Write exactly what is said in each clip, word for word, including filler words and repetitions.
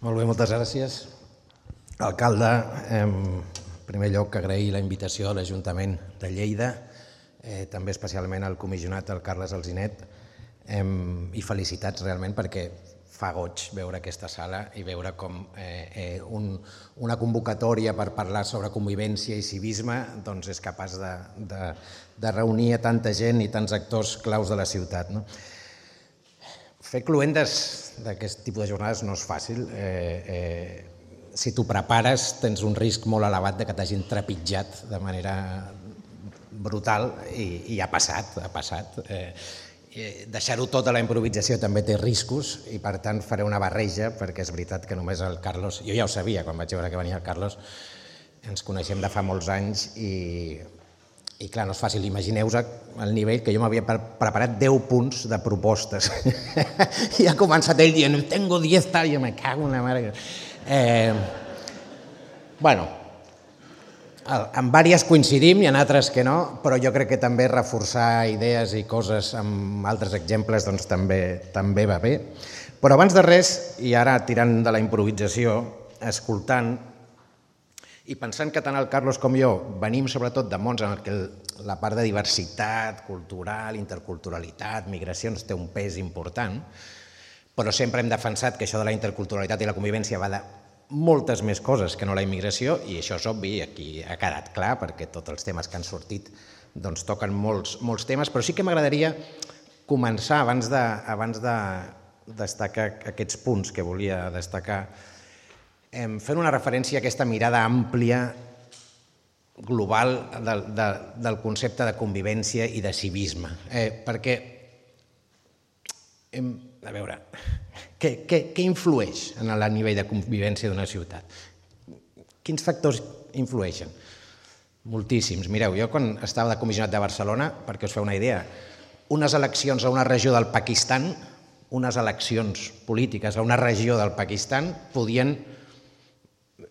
Molt bé, moltes gràcies. Alcalde, en primer lloc agrair la invitació a l'Ajuntament de Lleida, eh, també especialment al comissionat, el Carles Alzinet, eh, i felicitats realment perquè fa goig veure aquesta sala i veure com eh, eh, un, una convocatòria per parlar sobre convivència i civisme doncs és capaç de, de, de reunir a tanta gent i tants actors claus de la ciutat. No? Fer cluendes d'aquest tipus de jornades no és fàcil. Eh, eh, si t'ho prepares tens un risc molt elevat de que t'hagin trepitjat de manera brutal i, i ha passat, ha passat. Eh, Deixar-ho tot a la improvisació també té riscos i per tant faré una barreja perquè és veritat que només el Carlos, jo ja ho sabia quan vaig veure que venia el Carlos, ens coneixem de fa molts anys i, i clar, no és fàcil, imagineu-vos el nivell que jo m'havia preparat deu punts de propostes i ha començat ell dient tengo diez tal, i jo me cago en la mare. Eh, bueno, en diverses coincidim i en altres que no, però jo crec que també reforçar idees i coses amb altres exemples doncs també, també va bé. Però abans de res, i ara tirant de la improvisació, escoltant i pensant que tant el Carlos com jo venim sobretot de mons en què la part de diversitat cultural, interculturalitat, migracions té un pes important, però sempre hem defensat que això de la interculturalitat i la convivència va de moltes més coses que no la immigració i això és obvi, aquí ha quedat clar perquè tots els temes que han sortit doncs toquen molts, molts temes, però sí que m'agradaria començar abans de, abans de destacar aquests punts que volia destacar eh, fent una referència a aquesta mirada àmplia global del, de, del concepte de convivència i de civisme, eh, perquè eh, a veure, què, què, què influeix en el nivell de convivència d'una ciutat? Quins factors influeixen? Moltíssims. Mireu, jo quan estava de comissionat de Barcelona, perquè us feu una idea, unes eleccions a una regió del Pakistan, unes eleccions polítiques a una regió del Pakistan podien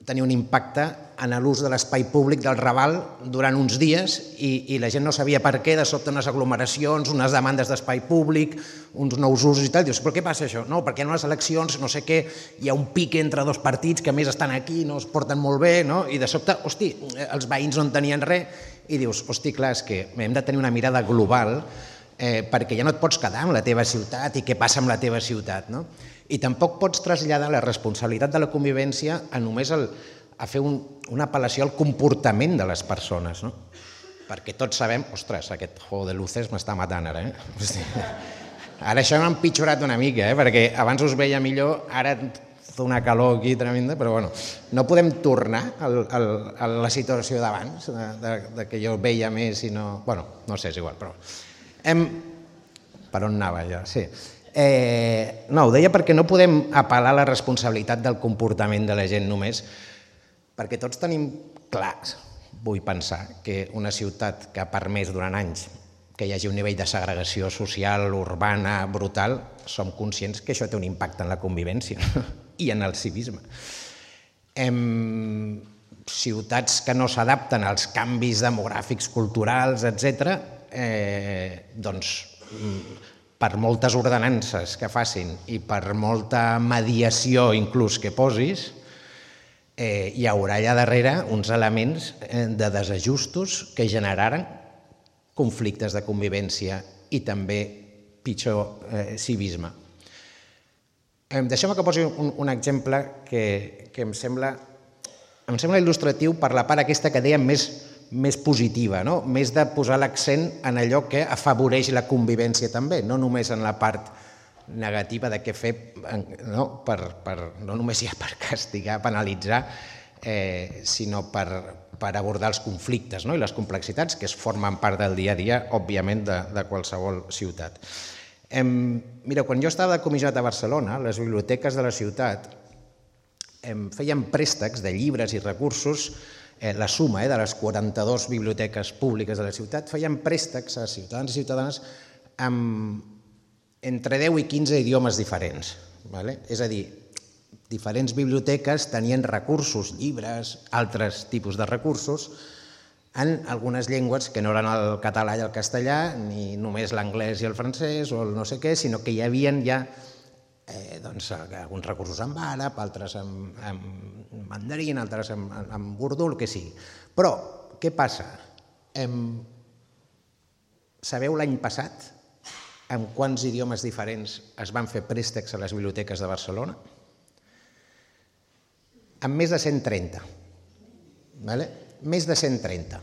tenir un impacte en l'ús de l'espai públic del Raval durant uns dies i, i la gent no sabia per què, de sobte unes aglomeracions, unes demandes d'espai públic, uns nous usos i tal. Dius, però què passa això? No, perquè en les eleccions, no sé què, hi ha un pic entre dos partits que a més estan aquí, no es porten molt bé, no? I de sobte, hosti, els veïns no en tenien res i dius, hosti, clar, és que hem de tenir una mirada global eh, perquè ja no et pots quedar amb la teva ciutat i què passa amb la teva ciutat, no? I tampoc pots traslladar la responsabilitat de la convivència a només el, a fer un, una apel·lació al comportament de les persones, no? Perquè tots sabem, ostres, aquest juego de luces m'està matant ara, eh? Hosti. Ara això m'ha empitjorat una mica, eh? Perquè abans us veia millor, ara fa una calor aquí tremenda, però bueno, no podem tornar al, al, a la situació d'abans, de, de, de que jo veia més i no... Bueno, no sé, és igual, però... Hem... Per on anava ja? Sí. Eh, no, ho deia perquè no podem apel·lar a la responsabilitat del comportament de la gent només, perquè tots tenim clar, vull pensar, que una ciutat que ha permès durant anys que hi hagi un nivell de segregació social, urbana, brutal, som conscients que això té un impacte en la convivència i en el civisme. Em, ciutats que no s'adapten als canvis demogràfics, culturals, etcètera, eh, doncs per moltes ordenances que facin i per molta mediació inclús que posis, eh, hi haurà allà darrere uns elements de desajustos que generaran conflictes de convivència i també pitjor eh, civisme. Eh, Deixeu-me que posi un, un exemple que, que em sembla, em sembla il·lustratiu per la part aquesta que dèiem més més positiva, no? Més de posar l'accent en allò que afavoreix la convivència també, no només en la part negativa de què fer, no, per, per, no només ja per castigar, penalitzar, eh, sinó per, per abordar els conflictes, no? I les complexitats que es formen part del dia a dia, òbviament, de, de qualsevol ciutat. Eh, mira, quan jo estava de comissionat a Barcelona, les biblioteques de la ciutat eh, feien préstecs de llibres i recursos. La suma de les quaranta-dues biblioteques públiques de la ciutat feien préstecs a ciutadans i ciutadanes amb entre deu i quinze idiomes diferents. És a dir, diferents biblioteques tenien recursos, llibres, altres tipus de recursos, en algunes llengües que no eren el català i el castellà, ni només l'anglès i el francès o el no sé què, sinó que hi havia ja doncs, alguns recursos en àrab, altres en mandarín, altres en urdú, el que sigui. Però, què passa? Sabeu l'any passat en quants idiomes diferents es van fer préstecs a les biblioteques de Barcelona? En més de cent trenta. Més de cent trenta.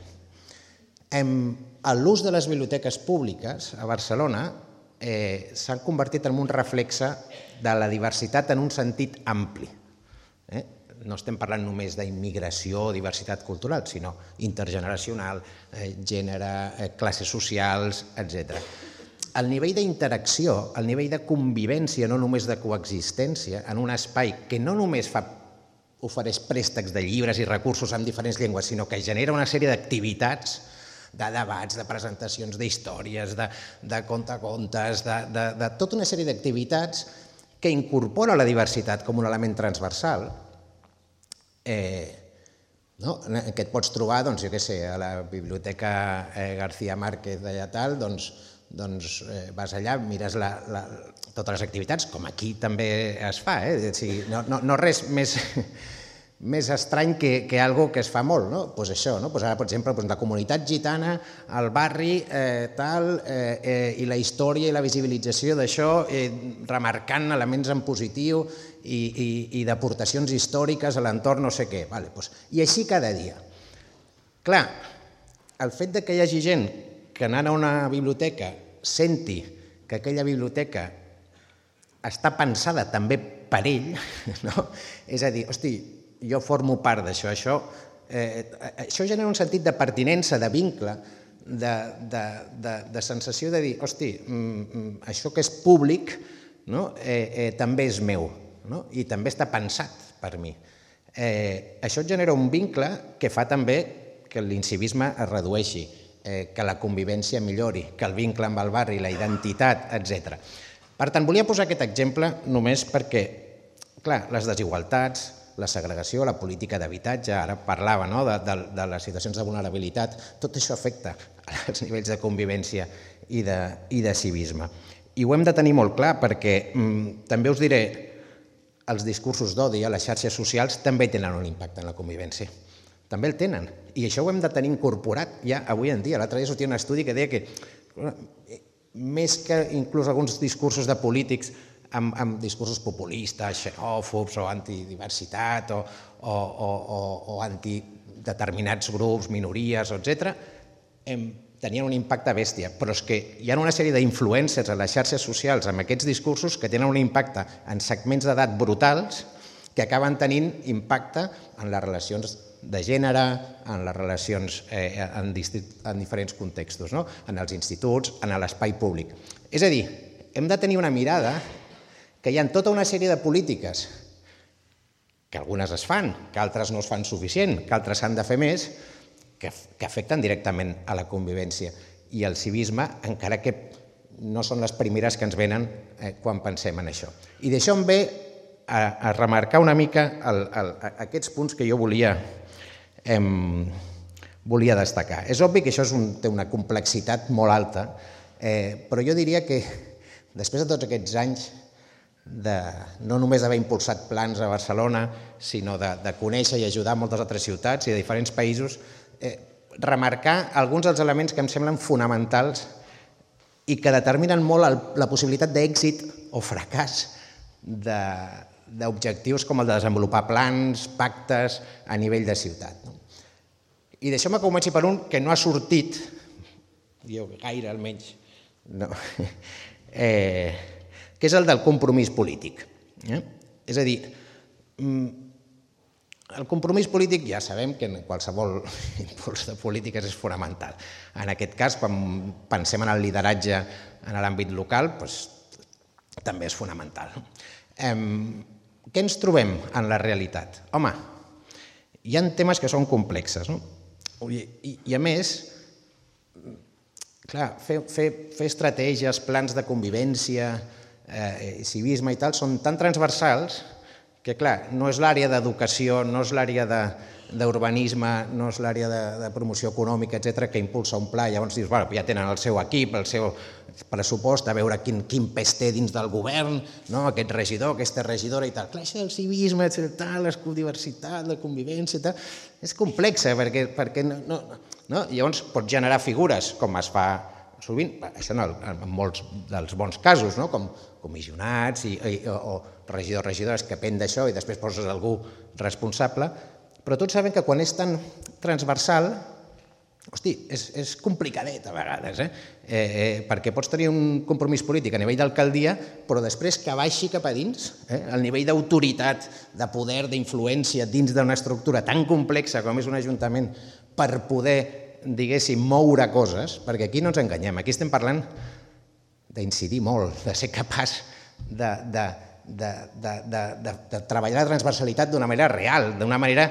L'ús de les biblioteques públiques a Barcelona s'han convertit en un reflexe de la diversitat en un sentit ampli. No estem parlant només d'immigració o diversitat cultural, sinó intergeneracional, gènere, classes socials, etcètera. El nivell d'interacció, el nivell de convivència, no només de coexistència, en un espai que no només ofereix préstecs de llibres i recursos en diferents llengües, sinó que genera una sèrie d'activitats, de debats, de presentacions d'històries, de contacontes, de tota una sèrie d'activitats que incorpora la diversitat com un element transversal, que et pots trobar, doncs, jo què sé, a la Biblioteca García Márquez d'allà tal, doncs vas allà, mires totes les activitats, com aquí també es fa, no res més estrany que algo que es fa molt, no? Doncs això, ara, per exemple, la comunitat gitana, el barri, tal, i la història i la visibilització d'això, remarcant elements en positiu i d'aportacions històriques a l'entorn no sé què. I així cada dia. Clar, el fet que hi hagi gent que anant a una biblioteca senti que aquella biblioteca està pensada també per ell, és a dir, hosti, jo formo part d'això, això genera un sentit de pertinença, de vincle, de sensació de dir, hosti, això que és públic també és meu i també està pensat per mi. Això genera un vincle que fa també que l'incivisme es redueixi, que la convivència millori, que el vincle amb el barri, la identitat, etcètera. Per tant, volia posar aquest exemple només perquè, clar, les desigualtats, la segregació, la política d'habitatge, ara parlava de les situacions de vulnerabilitat, tot això afecta els nivells de convivència i de civisme. I ho hem de tenir molt clar perquè, també us diré, els discursos d'odi a les xarxes socials també tenen un impacte en la convivència. També el tenen, i això ho hem de tenir incorporat ja avui en dia. L'altre dia sortia un estudi que deia que més que inclús alguns discursos de polítics amb discursos populistes, xenòfobs o antidiversitat o antideterminats grups, minories, etcètera, tenien un impacte bèstia. Però és que hi ha una sèrie d'influències a les xarxes socials amb aquests discursos que tenen un impacte en segments d'edat brutals que acaben tenint impacte en les relacions de gènere, en les relacions en diferents contextos, en els instituts, en l'espai públic. És a dir, hem de tenir una mirada que hi ha tota una sèrie de polítiques, que algunes es fan, que altres no es fan suficient, que altres s'han de fer més, que afecten directament a la convivència i al civisme, encara que no són les primeres que ens venen quan pensem en això. I d'això em ve a remarcar una mica aquests punts que jo volia volia destacar. És obvi que això té una complexitat molt alta, però jo diria que després de tots aquests anys no només d'haver impulsat plans a Barcelona, sinó de conèixer i ajudar moltes altres ciutats i de diferents països, remarcar alguns dels elements que em semblen fonamentals i que determinen molt la possibilitat d'èxit o fracàs d'objectius com el de desenvolupar plans, pactes a nivell de ciutat. I deixeu-me que comenci per un que no ha sortit, jo gaire almenys, que és el del compromís polític. És a dir, el compromís polític ja sabem que en qualsevol impuls de polítiques és fonamental. En aquest cas, quan pensem en el lideratge en l'àmbit local, també és fonamental. Què ens trobem en la realitat? Home, hi ha temes que són complexes, i a més, clar, fer estratègies, plans de convivència, civisme i tal, són tan transversals que, clar, no és l'àrea d'educació, no és l'àrea d'urbanisme, no és l'àrea de promoció econòmica, etcètera, que impulsa un pla, llavors dius, bueno, ja tenen el seu equip, el seu pressupost, a veure quin pes té dins del govern, aquest regidor, aquesta regidora i tal. Clar, això del civisme, la diversitat, la convivència, és complexa, perquè llavors pots generar figures, com es fa sovint, això en molts dels bons casos, com comissionats o regidors, regidores que depèn d'això i després poses algú responsable, però tots sabem que quan és tan transversal, hosti, és complicadet a vegades, perquè pots tenir un compromís polític a nivell d'alcaldia, però després que baixi cap a dins, el nivell d'autoritat, de poder, d'influència dins d'una estructura tan complexa com és un ajuntament per poder, diguéssim, moure coses, perquè aquí no ens enganyem, aquí estem parlant d'incidir molt, de ser capaç de... de treballar la transversalitat d'una manera real, d'una manera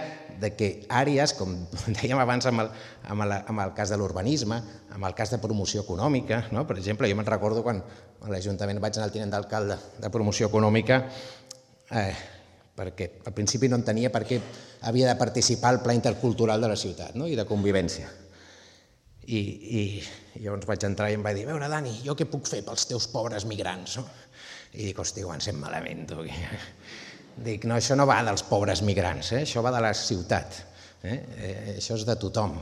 que àrees, com dèiem abans amb el cas de l'urbanisme, amb el cas de promoció econòmica, per exemple, jo me'n recordo quan a l'Ajuntament vaig anar al tinent d'alcalde de promoció econòmica, perquè al principi no entenia per què havia de participar al pla intercultural de la ciutat i de convivència. I llavors vaig entrar i em va dir, a veure, Dani, jo què puc fer pels teus pobres migrants? I dic, hosti, ho encén malament, tu. Dic, no, això no va dels pobres migrants, això va de la ciutat, això és de tothom.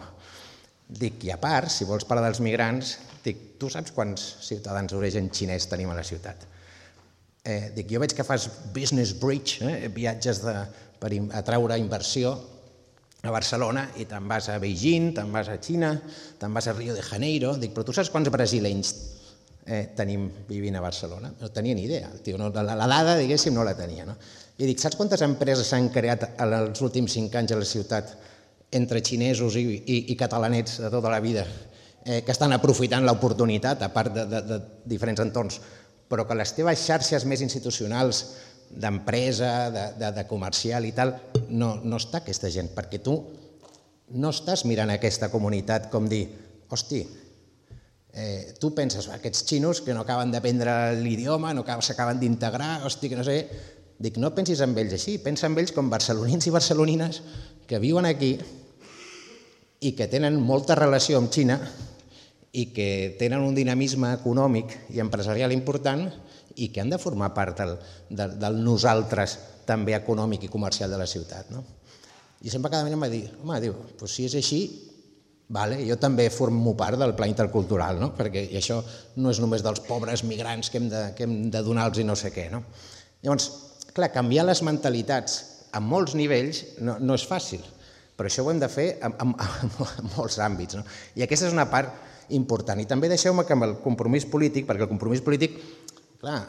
Dic, i a part, si vols parlar dels migrants, dic, tu saps quants ciutadans d'origen xinès tenim a la ciutat? Dic, jo veig que fas business bridge, viatges per atraure inversió a Barcelona i te'n vas a Beijing, te'n vas a Xina, te'n vas a Rio de Janeiro, dic, però tu saps quants brasilenys tenim vivint a Barcelona? No tenia ni idea, la dada, diguéssim, no la tenia. I dic, saps quantes empreses s'han creat en els últims cinc anys a la ciutat entre xinesos i catalanets de tota la vida que estan aprofitant l'oportunitat, a part de diferents entorns, però que les teves xarxes més institucionals d'empresa, de comercial i tal, no està aquesta gent, perquè tu no estàs mirant aquesta comunitat com dir, hosti, tu penses, aquests xinos que no acaben d'aprendre l'idioma, no s'acaben d'integrar, hosti, que no sé... Dic, no pensis en ells així, pensa en ells com barcelonins i barcelonines que viuen aquí i que tenen molta relació amb Xina i que tenen un dinamisme econòmic i empresarial important i que han de formar part del nosaltres també econòmic i comercial de la ciutat. I sempre cada dia em va dir, home, diu, si és així, jo també formo part del pla intercultural, perquè això no és només dels pobres migrants que hem de donar-los i no sé què. Llavors, clar, canviar les mentalitats a molts nivells no és fàcil, però això ho hem de fer en molts àmbits. I aquesta és una part important. I també deixeu-me que amb el compromís polític, perquè el compromís polític, clar,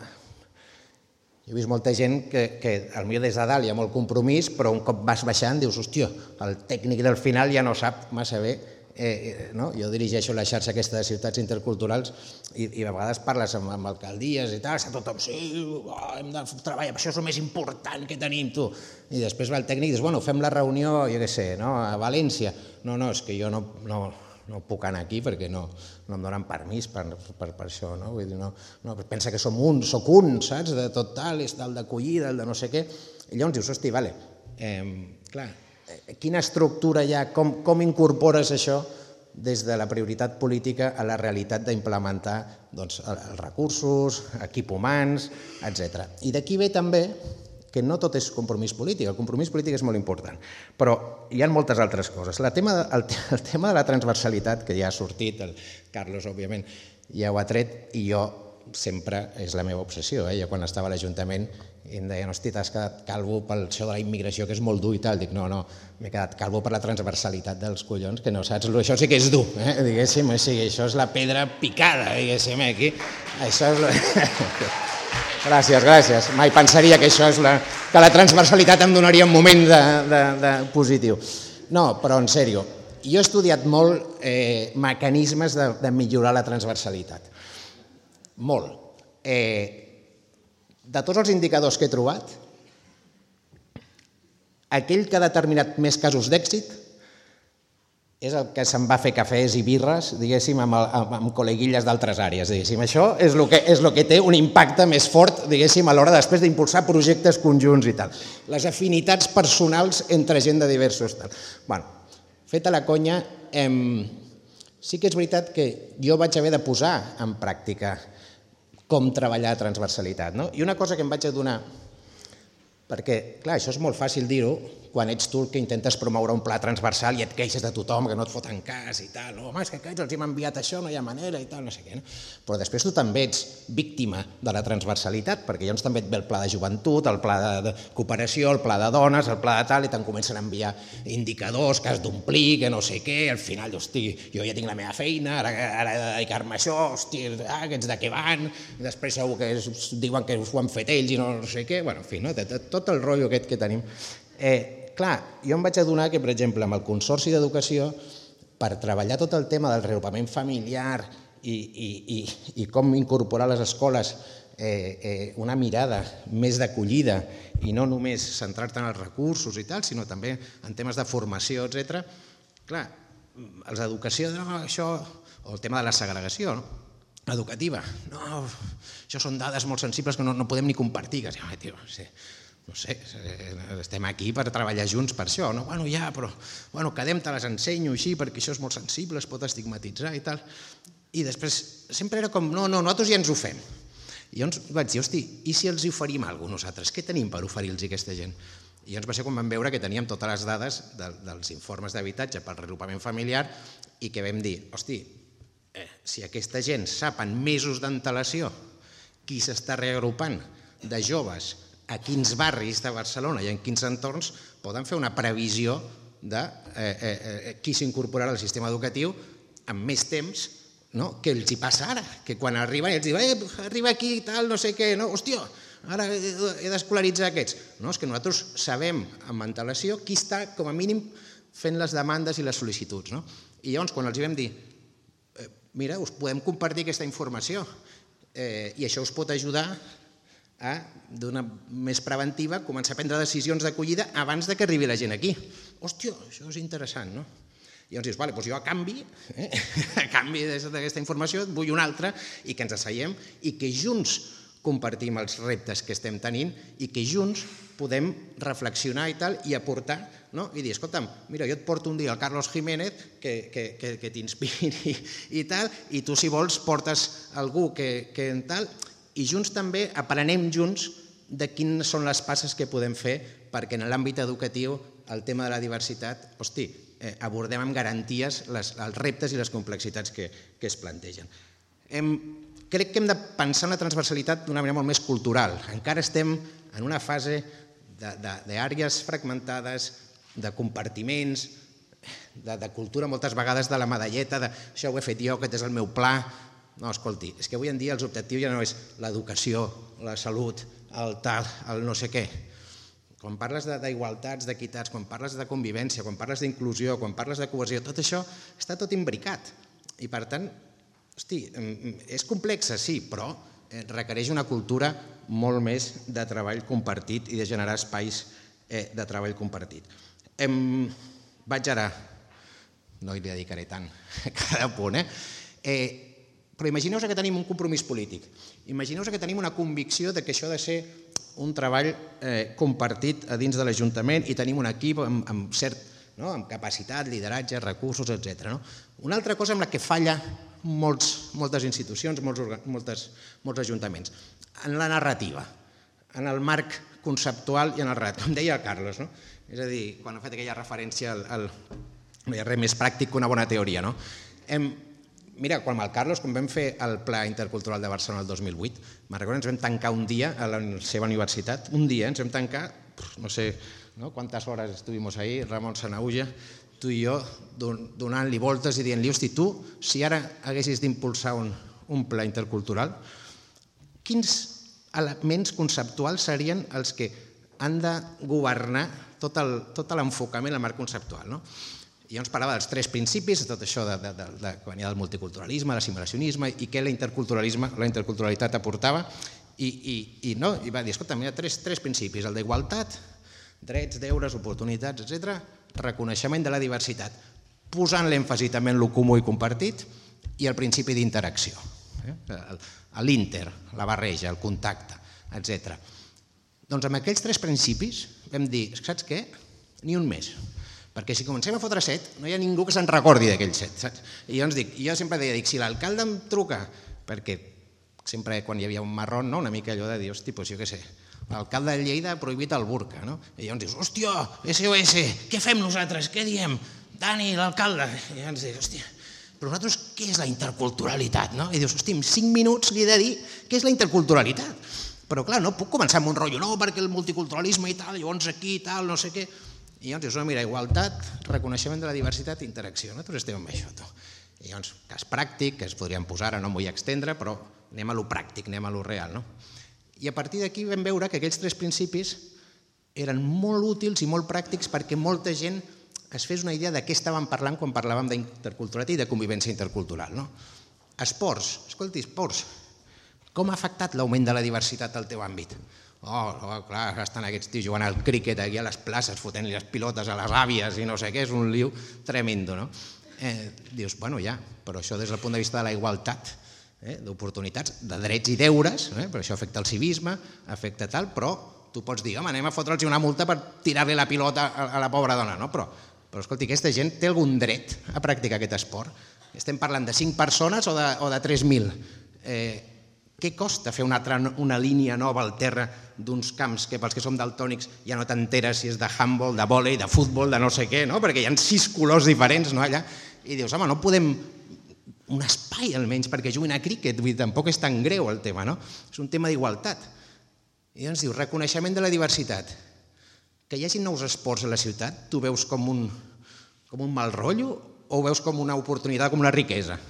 jo he vist molta gent que potser des de dalt hi ha molt compromís, però un cop vas baixant dius, hòstia, el tècnic del final ja no sap massa bé. Jo dirigeixo la xarxa aquesta de ciutats interculturals i a vegades parles amb alcaldies i tal, està tothom, sí, hem de treballar, això és el més important que tenim, tu. I després va el tècnic i dius, bueno, fem la reunió, jo què sé, a València. No, no, és que jo no puc anar aquí perquè no em donen permís per això. Pensa que som un, soc un, saps, de tot tal, és del d'acollida, el de no sé què. I llavors dius, hosti, vale, clar, quina estructura hi ha, com incorpores això des de la prioritat política a la realitat d'implementar els recursos, equip humans, etcètera. I d'aquí ve també que no tot és compromís polític, el compromís polític és molt important, però hi ha moltes altres coses. El tema de la transversalitat, que ja ha sortit, el Carlos, òbviament, ja ho ha tret, i jo sempre és la meva obsessió. Jo quan estava a l'Ajuntament i em deien, hosti, t'has quedat calvo pel això de la immigració, que és molt dur i tal. Dic, no, no, m'he quedat calvo per la transversalitat dels collons, que no saps, això sí que és dur, diguéssim, això és la pedra picada, diguéssim, aquí. Això és... Gràcies, gràcies. Mai pensaria que això és la... que la transversalitat em donaria un moment de positiu. No, però en sèrio, jo he estudiat molt mecanismes de millorar la transversalitat. Molt. De tots els indicadors que he trobat, aquell que ha determinat més casos d'èxit és el que se'n va a fer cafès i birres, diguéssim, amb, amb, amb col·leguilles d'altres àrees, diguéssim. Això és el que, és el que té un impacte més fort, diguéssim, a l'hora després d'impulsar projectes conjunts i tal. Les afinitats personals entre gent de diversos tal. Bueno, feta la conya, em... sí que és veritat que jo vaig haver de posar en pràctica com treballar a transversalitat, no? I una cosa que em vaig adonar, perquè, clar, això és molt fàcil dir-ho quan ets tu el que intentes promoure un pla transversal i et queixes de tothom, que no et foten cas i tal, home, és que aquests els hem enviat això, no hi ha manera i tal, no sé què, no? Però després tu també ets víctima de la transversalitat, perquè llavors també et ve el pla de joventut, el pla de cooperació, el pla de dones, el pla de tal, i te'n comencen a enviar indicadors que has d'omplir, que no sé què, al final, hosti, jo ja tinc la meva feina, ara, ara he de dedicar-me a això, hosti, ah, aquests de què van, i després segur que es, diuen que ho han fet ells i no, no sé què, bueno, en fi, no? Tot el rotllo aquest que tenim. Eh, clar, jo em vaig adonar que, per exemple, amb el Consorci d'Educació, per treballar tot el tema del reagrupament familiar i, i, i, i com incorporar a les escoles eh, eh, una mirada més d'acollida i no només centrar-te en els recursos i tal, sinó també en temes de formació, etcètera. Clar, els d'educació, no, això, o el tema de la segregació, no? Educativa, no, això són dades molt sensibles que no, no podem ni compartir, que sí, tio, sí. No sé, estem aquí per treballar junts per això, no? Bueno, ja, però, bueno, quedem, te les ensenyo així perquè això és molt sensible, es pot estigmatitzar i tal. I després sempre era com, no, no, nosaltres ja ens ho fem. I llavors vaig dir, hosti, i si els oferim alguna cosa nosaltres? Què tenim per oferir-los a aquesta gent? I llavors va ser quan vam veure que teníem totes les dades de, dels informes d'habitatge pel reagrupament familiar i que vam dir, hosti, eh, si aquesta gent sap en mesos d'antelació qui s'està reagrupant de joves a quins barris de Barcelona i en quins entorns poden fer una previsió de eh, eh, qui s'incorporarà al sistema educatiu amb més temps, no? Que els hi passa ara, que quan arriben ells diuen eh, arriba aquí i tal, no sé què, no? Hòstia, ara he d'escolaritzar aquests. No, és que nosaltres sabem amb antelació qui està com a mínim fent les demandes i les sol·licituds, no? I llavors quan els hi vam dir eh, mira, us podem compartir aquesta informació eh, i això us pot ajudar a, d'una més preventiva, començar a prendre decisions d'acollida abans que arribi la gent aquí. Hòstia, això és interessant, no? I llavors dius, vale, doncs jo a canvi, eh, a canvi d'aquesta informació, vull una altra i que ens asseiem i que junts compartim els reptes que estem tenint i que junts podem reflexionar i tal i aportar, no? I dir, escolta'm, mira, jo et porto un dia el Carlos Jiménez que, que, que, que t'inspiri i tal, i tu si vols portes algú que, que en tal... I junts també aprenem junts de quines són les passes que podem fer perquè en l'àmbit educatiu el tema de la diversitat, hosti, eh, abordem amb garanties les, els reptes i les complexitats que, que es plantegen. Hem, crec que hem de pensar en la transversalitat d'una manera molt més cultural. Encara estem en una fase d'àrees fragmentades, de compartiments, de, de cultura moltes vegades de la medalleta, de això ho he fet jo, aquest és el meu pla. No, escolti, és que avui en dia els objectius ja no és l'educació, la salut, el tal, el no sé què. Quan parles d'igualtats, d'equitats, quan parles de convivència, quan parles d'inclusió, quan parles de cohesió, tot això està tot imbricat. I per tant, hosti, és complexa, sí, però requereix una cultura molt més de treball compartit i de generar espais de treball compartit. Vaig ara, no hi dedicaré tant a cada punt, eh? Però imagineu-vos que tenim un compromís polític, imagineu-vos que tenim una convicció de que això ha de ser un treball compartit a dins de l'Ajuntament i tenim un equip amb cert, amb capacitat, lideratge, recursos, etcètera. Una altra cosa amb la que falla moltes institucions, molts ajuntaments, en la narrativa, en el marc conceptual i en el relat, com deia el Carlos. És a dir, quan ha fet aquella referència al no hi ha res més pràctic que una bona teoria. Mira, quan amb el Carlos, quan vam fer el Pla Intercultural de Barcelona el dos mil vuit, me'n recordo, ens vam tancar un dia a la seva universitat, un dia, ens vam tancar, no sé quantes hores estuvimos ahí, Ramon Sanaulla, tu i jo, donant-li voltes i dient-li, hosti, tu, si ara haguessis d'impulsar un pla intercultural, quins elements conceptuals serien els que han de governar tot l'enfocament al marc conceptual, no? I llavors parlava dels tres principis, tot això que venia del multiculturalisme, l'assimilacionisme i què la interculturalitat aportava i va dir, escolta, hi ha tres principis, el d'igualtat, drets, deures, oportunitats, etcètera, reconeixement de la diversitat. posant l'èmfasi també en el comú i compartit i el principi d'interacció, l'inter, la barreja, el contacte, etcètera. Doncs amb aquells tres principis vam dir, saps què? Ni un més. Perquè si comencem a fotre set, no hi ha ningú que se'n recordi d'aquells set, saps? I llavors dic, jo sempre deia, dic, si l'alcalde em truca, perquè sempre quan hi havia un marrón, una mica allò de dir, hosti, doncs jo què sé, l'alcalde de Lleida ha prohibit el burca, no? I llavors dius, hòstia, S O S, què fem nosaltres? Què diem? Dani, l'alcalde. I llavors dius, hòstia, però nosaltres què és la interculturalitat, no? I dius, hòstia, en cinc minuts li he de dir què és la interculturalitat. Però clar, no puc començar amb un rotllo, no, perquè el multiculturalisme i tal, llavors aquí i tal, no sé què. I llavors dius, no, mira, igualtat, reconeixement de la diversitat i interacció. Nosaltres estem amb això, tu. I llavors, cas pràctic, que es podrien posar, ara no m'ho vull extendre, però anem a lo pràctic, anem a lo real, no? I a partir d'aquí vam veure que aquells tres principis eren molt útils i molt pràctics perquè molta gent es fes una idea de què estàvem parlant quan parlàvem d'interculturalitat i de convivència intercultural, no? Esports, escolti, esports, com ha afectat l'augment de la diversitat al teu àmbit? Oh, oh, clar, estan aquests tios jugant al críquet aquí a les places, fotent-li les pilotes a les àvies i no sé què, és un liu tremendo, no? Eh, dius, bueno, ja, però això des del punt de vista de la igualtat, eh, d'oportunitats, de drets i deures, eh, però això afecta el civisme, afecta tal, però tu pots dir, home, anem a fotre'ls una multa per tirar-li la pilota a, a la pobra dona, no? Però, però escolti, aquesta gent té algun dret a practicar aquest esport? Estem parlant de cinc persones o de, o de tres mil? Eh, Què costa fer una, altra, una línia nova al terra d'uns camps que pels que som daltònics ja no t'enteres si és de handball, de vòlei, de futbol, de no sé què, no? Perquè hi ha sis colors diferents, no, allà, i dius, home, no podem un espai almenys perquè juguin a críquet, vull dir, tampoc és tan greu el tema, no? És un tema d'igualtat. I ens diu, reconeixement de la diversitat. Que hi hagi nous esports a la ciutat, tu veus com un, com un mal rotllo o ho veus com una oportunitat, com una riquesa?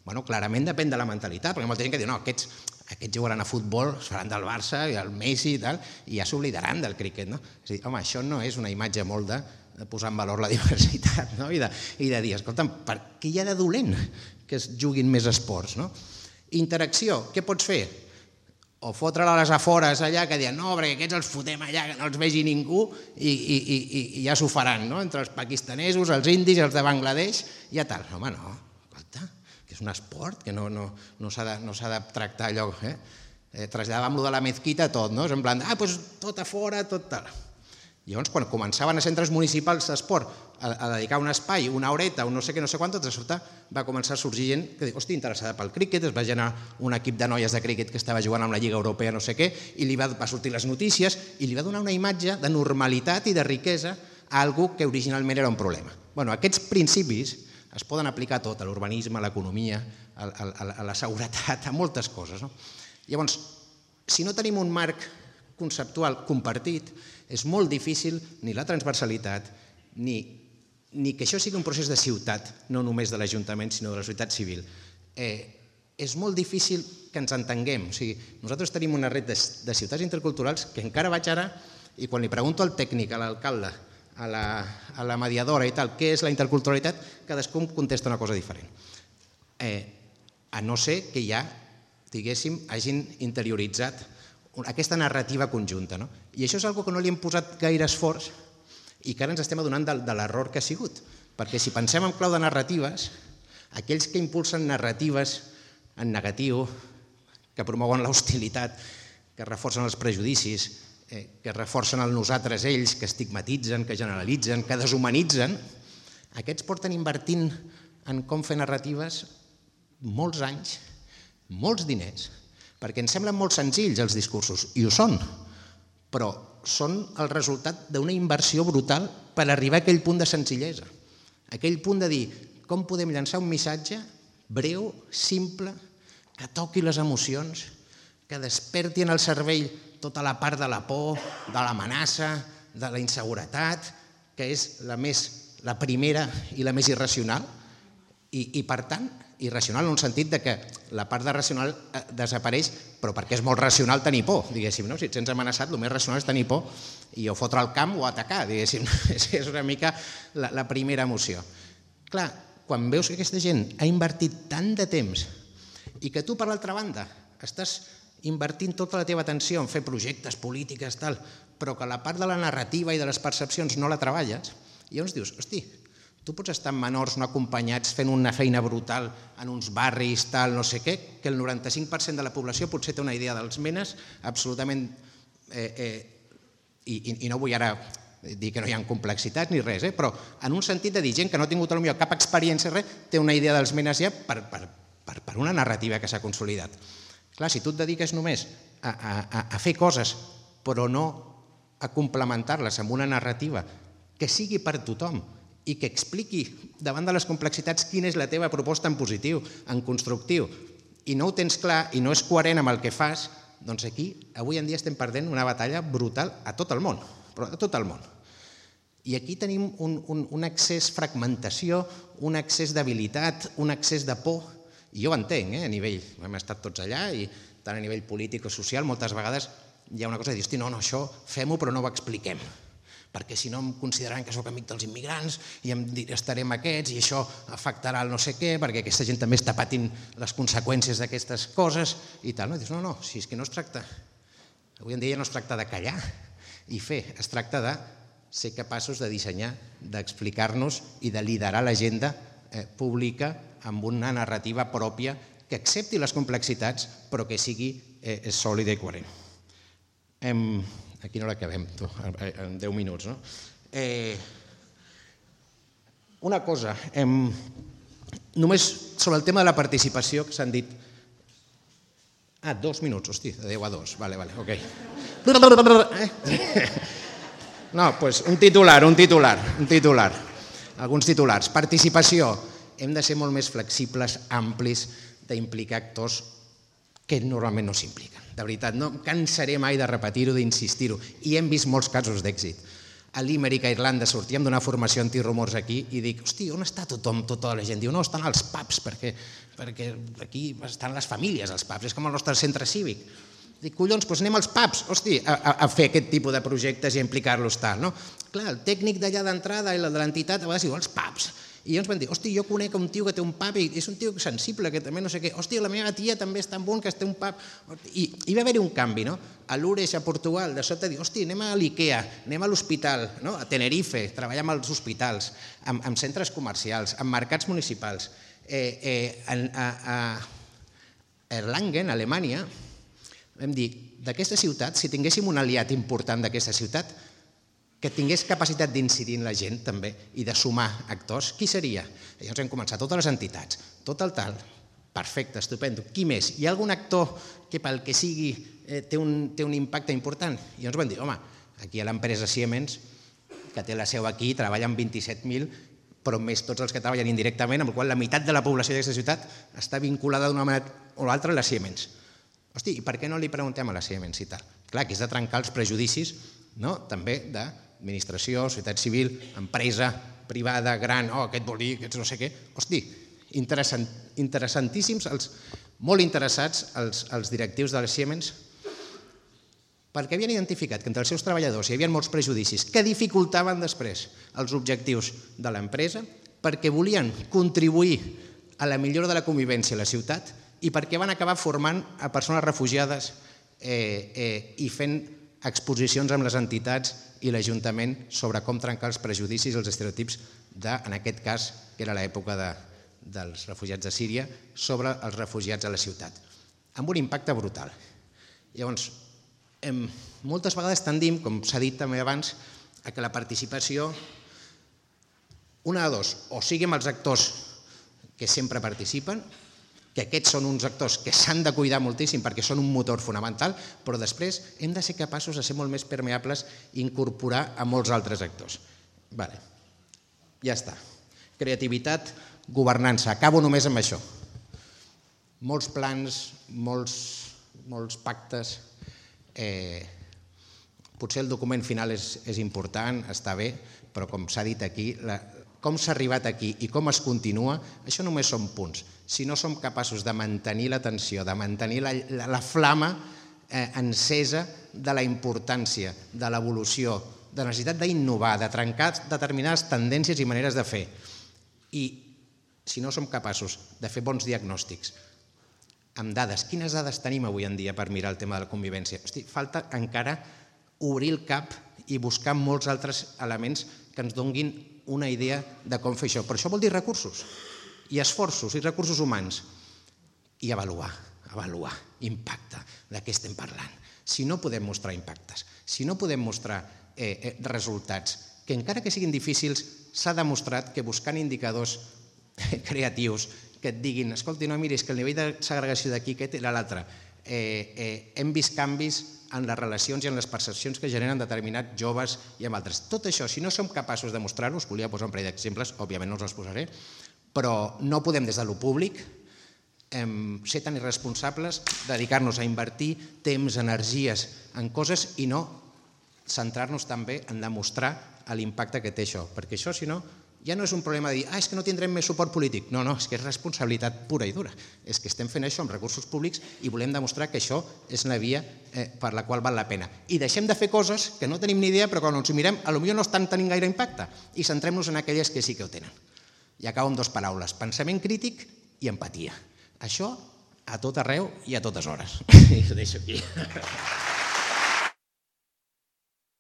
Bueno, clarament depèn de la mentalitat, perquè hi ha molta gent que diu, no, aquests, aquests jugaran a futbol, es faran del Barça i el Messi i tal, i ja s'oblidaran del críquet, no? És a dir, home, això no és una imatge molt de, de posar en valor la diversitat, no? I de, i de dir, escolta'm, per què hi ha de dolent que es juguin més esports, no? Interacció, què pots fer? O fotre-la a les afores allà, que diuen, no, perquè aquests els fotem allà, que no els vegi ningú, i, i, i, i ja s'ho faran, no? Entre els pakistanesos, els indis, els de Bangladesh, ja tal. Home, no, escolta, que és un esport, que no, no, no s'ha de, no s'ha de tractar allò, eh? eh traslladàvem lo de la mezquita a tot, no? És en plan, ah, doncs tot a fora, tot tal. Llavors, quan començaven a centres municipals d'esport a, a dedicar un espai, una horeta, un no sé què, no sé quant, de sobte va començar a sorgir gent que diu, hosti, interessada pel críquet, es va generar un equip de noies de críquet que estava jugant amb la Lliga Europea, no sé què, i li va, va sortir les notícies i li va donar una imatge de normalitat i de riquesa a algú que originalment era un problema. Bueno, aquests principis es poden aplicar a tot, a l'urbanisme, a l'economia, a, a, a la seguretat, a moltes coses, no? Llavors, si no tenim un marc conceptual compartit, és molt difícil ni la transversalitat, ni, ni que això sigui un procés de ciutat, no només de l'Ajuntament, sinó de la societat civil. Eh, és molt difícil que ens entenguem. O sigui, nosaltres tenim una red de, de ciutats interculturals que encara vaig ara, i quan li pregunto al tècnic, a l'alcalde, a la, a la mediadora i tal, què és la interculturalitat, cadascú contesta una cosa diferent. Eh, a no ser que ja, diguéssim, hagin interioritzat aquesta narrativa conjunta, no? I això és una cosa que no li hem posat gaire esforç i que ara ens estem adonant de, de l'error que ha sigut. Perquè si pensem en clau de narratives, aquells que impulsen narratives en negatiu, que promouen l'hostilitat, que reforcen els prejudicis, que reforcen el nosaltres ells, que estigmatitzen, que generalitzen, que deshumanitzen, aquests porten invertint en com fer narratives molts anys, molts diners, perquè ens semblen molt senzills els discursos, i ho són, però són el resultat d'una inversió brutal per arribar a aquell punt de senzillesa, aquell punt de dir com podem llançar un missatge breu, simple, que toqui les emocions, que desperti en el cervell tota la part de la por, de l'amenaça, de la inseguretat, que és la, més, la primera i la més irracional, i, i per tant, irracional en un sentit de que la part de racional desapareix, però perquè és molt racional tenir por, diguéssim, no? Si et sents amenaçat, el més racional és tenir por i o fotre al camp o atacar, diguéssim, és una mica la, la primera emoció. Clar, quan veus que aquesta gent ha invertit tant de temps i que tu, per l'altra banda, estàs invertint tota la teva atenció en fer projectes, polítiques, tal, però que la part de la narrativa i de les percepcions no la treballes, i llavors dius, hosti, tu pots estar amb menors no acompanyats fent una feina brutal en uns barris, tal, no sé què, que el noranta-cinc per cent de la població potser té una idea dels menes absolutament... I no vull ara dir que no hi ha complexitats ni res, però en un sentit de dir gent que no ha tingut potser cap experiència, res, té una idea dels menes ja per una narrativa que s'ha consolidat. Clar, si tu et dediques només a fer coses però no a complementar-les amb una narrativa que sigui per tothom i que expliqui davant de les complexitats quina és la teva proposta en positiu, en constructiu, i no ho tens clar i no és coherent amb el que fas, doncs aquí avui en dia estem perdent una batalla brutal a tot el món, però a tot el món. I aquí tenim un excés fragmentació, un excés d'habilitat, un excés de por, i jo ho entenc, a nivell, hem estat tots allà, i tant a nivell polític o social, moltes vegades hi ha una cosa de dir, hosti, no, no, això fem-ho però no ho expliquem, perquè si no em consideraran que sóc amic dels immigrants i estarem aquests i això afectarà el no sé què, perquè aquesta gent també està patint les conseqüències d'aquestes coses i tal. No, dius, no, no, si és que no es tracta, avui en dia no es tracta de callar i fer, es tracta de ser capaços de dissenyar, d'explicar-nos i de liderar l'agenda pública amb una narrativa pròpia que accepti les complexitats però que sigui sòlida i coherent. Aquí no l'acabem, en deu minuts, no? Una cosa, només sobre el tema de la participació que s'han dit... Ah, dos minuts, hosti, de deu a dos, vale, vale, ok. No, doncs un titular, un titular, un titular, alguns titulars. Participació, hem de ser molt més flexibles, amplis, d'implicar actors que normalment no s'impliquen. De veritat, no em cansaré mai de repetir-ho, d'insistir-ho, i hem vist molts casos d'èxit. A Limerick, a Irlanda, sortíem d'una formació antirumors aquí i dic, hosti, on està tothom, tota la gent? Diu, no, estan als pubs, perquè aquí estan les famílies, als pubs, és com el nostre centre cívic. Dic, collons, doncs anem als pubs, hosti, a fer aquest tipus de projectes i a implicar-los tal, no? Clar, el tècnic d'allà d'entrada i el de l'entitat a vegades diu, als pubs. I llavors van dir, hosti, jo conec un tio que té un pub i és un tio sensible, que també no sé què. Hosti, la meva tia també és tan bon que té un pub. I va haver-hi un canvi, no? A Loures, a Portugal, de sobte dir, hosti, anem a l'Ikea, anem a l'hospital, a Tenerife, treballar amb els hospitals, amb centres comercials, amb mercats municipals. A Erlangen, a Alemanya, vam dir, d'aquesta ciutat, si tinguéssim un aliat important d'aquesta ciutat, que tingués capacitat d'incidir en la gent també i de sumar actors, qui seria? Llavors hem començat totes les entitats, tot el tal, perfecte, estupendo. Qui més? Hi ha algun actor que pel que sigui té un impacte important? I llavors vam dir, home, aquí hi ha l'empresa Siemens, que té la seu aquí, treballa amb vint-i-set mil, però més tots els que treballen indirectament, amb la qual cosa la meitat de la població d'aquesta ciutat està vinculada d'una manera o l'altra a la Siemens. Hosti, i per què no li preguntem a la Siemens i tal? Clar, que és de trencar els prejudicis també de administració, societat civil, empresa privada, gran, oh, aquest vol dir, aquest no sé què. Hosti, interessantíssims, molt interessats els directius de les Siemens, perquè havien identificat que entre els seus treballadors hi havia molts prejudicis que dificultaven després els objectius de l'empresa, perquè volien contribuir a la millora de la convivència a la ciutat i perquè van acabar formant a persones refugiades i fent exposicions amb les entitats i l'Ajuntament sobre com trencar els prejudicis i els estereotips de, en aquest cas, que era l'època dels refugiats de Síria, sobre els refugiats a la ciutat, amb un impacte brutal. Llavors, moltes vegades tendim, com s'ha dit també abans, a que la participació, una de dos, o sigui amb els actors que sempre participen, que aquests són uns actors que s'han de cuidar moltíssim perquè són un motor fonamental, però després hem de ser capaços de ser molt més permeables i incorporar a molts altres actors. Vale, ja està. Creativitat, governança. Acabo només amb això. Molts plans, molts pactes. Potser el document final és important, està bé, però com s'ha dit aquí, com s'ha arribat aquí i com es continua, això només són punts. Si no som capaços de mantenir l'atenció, de mantenir la flama encesa de la importància, de l'evolució, de la necessitat d'innovar, de trencar determinades tendències i maneres de fer, i si no som capaços de fer bons diagnòstics amb dades, quines dades tenim avui en dia per mirar el tema de la convivència? Hosti, falta encara obrir el cap i buscar molts altres elements que ens donguin una idea de com fer això. Però això vol dir recursos, i esforços, i recursos humans. I avaluar, avaluar, impacte, de què estem parlant. Si no podem mostrar impactes, si no podem mostrar resultats, que encara que siguin difícils, s'ha demostrat que buscant indicadors creatius que et diguin, escolti, no, miri, és que el nivell de segregació d'aquí, aquest era l'altre. Hem vist canvis en les relacions i en les percepcions que generen determinats joves i amb altres. Tot això, si no som capaços de mostrar-ho, us volia posar un parell d'exemples, òbviament no us els posaré, però no podem des de lo públic ser tan irresponsables, dedicar-nos a invertir temps, energies en coses i no centrar-nos també en demostrar l'impacte que té això, perquè això, si no, ja no és un problema de dir, ah, és que no tindrem més suport polític. No, no, és que és responsabilitat pura i dura. És que estem fent això amb recursos públics i volem demostrar que això és una via per la qual val la pena. I deixem de fer coses que no tenim ni idea, però quan ens ho mirem, potser no estan tenint gaire impacte, i centrem-nos en aquelles que sí que ho tenen. I acabo amb dues paraules, pensament crític i empatia. Això a tot arreu i a totes hores. I ho deixo aquí.